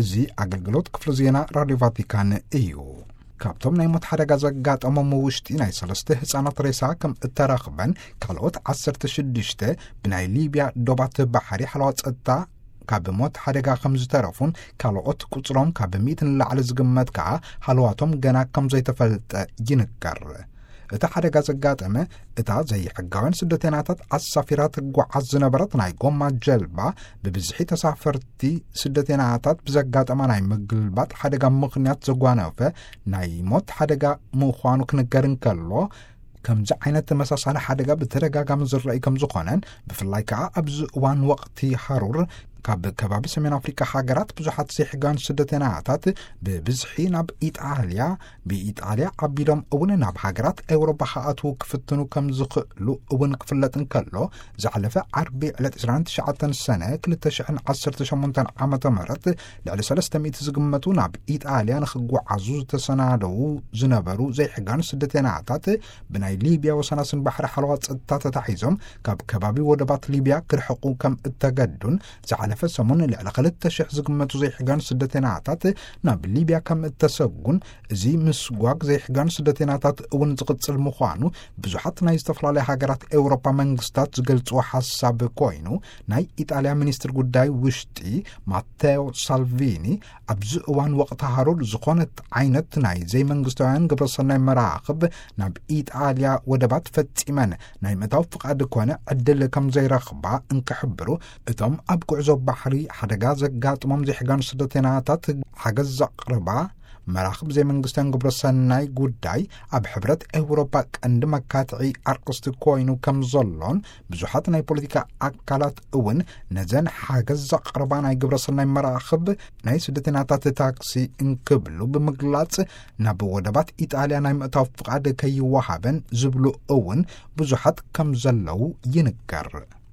እዚ ኣገልግሎት ክፍሊ ዜና ራድዮ ቫቲካን እዩ። ካብቶም ናይ ሞት ሓደጋ ዘጋጠሞም ውሽጢ ናይ ሰለስተ ህፃናት ሬሳ ከም እተረኽበን፣ ካልኦት ዓሰርተ ሽዱሽተ ብናይ ሊብያ ዶባት ባሕሪ ሓለዋ ጸጥታ ካብ ሞት ሓደጋ ከም ዝተረፉን፣ ካልኦት ቁጽሮም ካብ ሚእቲ ንላዕሊ ዝግመት ከኣ ሃለዋቶም ገና ከም ዘይተፈልጠ ይንገር። እቲ ሓደጋ ዘጋጠመ፣ እታ ዘይሕጋውያን ስደተናታት ኣሳፊራ ትጓዓዝ ዝነበረት ናይ ጎማ ጀልባ፣ ብብዝሒ ተሳፈርቲ ስደተናታት ብዘጋጠማ ናይ ምግልባጥ ሓደጋ ምኽንያት ዘጓነፈ ናይ ሞት ሓደጋ ምዃኑ ክንገር እንከሎ፣ ከምዚ ዓይነት ተመሳሳሊ ሓደጋ ብተደጋጋሚ ዝረኣይ ከም ዝኾነን፣ ብፍላይ ከኣ ኣብዚ እዋን ወቕቲ ሃሩር ካብ ከባቢ ሰሜን ኣፍሪካ ሃገራት ብዙሓት ዘይሕጋውያን ስደተናታት ብብዝሒ ናብ ኢጣልያ፣ ብኢጣልያ ኣቢሎም እውን ናብ ሃገራት ኤውሮጳ ክኣትዉ ክፍትኑ ከም ዝኽእሉ እውን ክፍለጥ እንከሎ፣ ዝሓለፈ ዓርቢ ዕለት ዕስራን ትሽዓተን ሰነ ክልተ ሽሕን ዓሰርተ ሸሞንተን ዓመተ ምህረት ልዕሊ ሰለስተ ሚእቲ ዝግመቱ ናብ ኢጣልያ ንኽጓዓዙ ዝተሰናደዉ ዝነበሩ ዘይሕጋውያን ስደተናታት፣ ብናይ ሊብያ ወሰናስን ባሕሪ ሓለዋ ጸጥታ ተታሒዞም ካብ ከባቢ ወደባት ሊብያ ክርሕቁ ከም እተገዱን፣ ዝሓለፈ ሰሙን ልዕሊ ክልተ ሽሕ ዝግመቱ ዘይሕጋውያን ስደተናታት ናብ ሊብያ ከም እተሰጉን፣ እዚ ምስጓግ ዘይሕጋውያን ስደተናታት እውን ዝቕጽል ምዃኑ ብዙሓት ናይ ዝተፈላለያ ሃገራት ኤውሮጳ መንግስታት ዝገልጽዎ ሓሳብ ኮይኑ፣ ናይ ኢጣልያ ሚኒስትር ጉዳይ ውሽጢ ማቴዎ ሳልቪኒ፣ ኣብዚ እዋን ወቕቲ ሃሩር ዝኾነት ዓይነት ናይ ዘይመንግስታውያን ግብረሰናይ መራኽብ ናብ ኢጣልያ ወደባት ፈጺመን ናይ ምእታው ፍቓድ ኮነ ዕድል ከም ዘይረኽባ እንክሕብሩ፣ እቶም ኣብ ጉዕዞ ባሕሪ ሓደጋ ዘጋጥሞም ዘይሕጋውያን ስደተናታት ሓገዝ ዘቕርባ መራኽብ ዘይመንግስታውያን ግብረሰናይ ጉዳይ ኣብ ሕብረት ኤውሮጳ ቀንዲ መካትዒ ኣርእስቲ ኮይኑ ከም ዘሎን፣ ብዙሓት ናይ ፖለቲካ ኣካላት እውን ነዘን ሓገዝ ዘቕርባ ናይ ግብረሰናይ መራኽብ ናይ ስደተናታት ታክሲ እንክብሉ ብምግላጽ፣ ናብ ወደባት ኢጣልያ ናይ ምእታው ፍቓድ ከይወሃበን ዝብሉ እውን ብዙሓት ከም ዘለዉ ይንገር።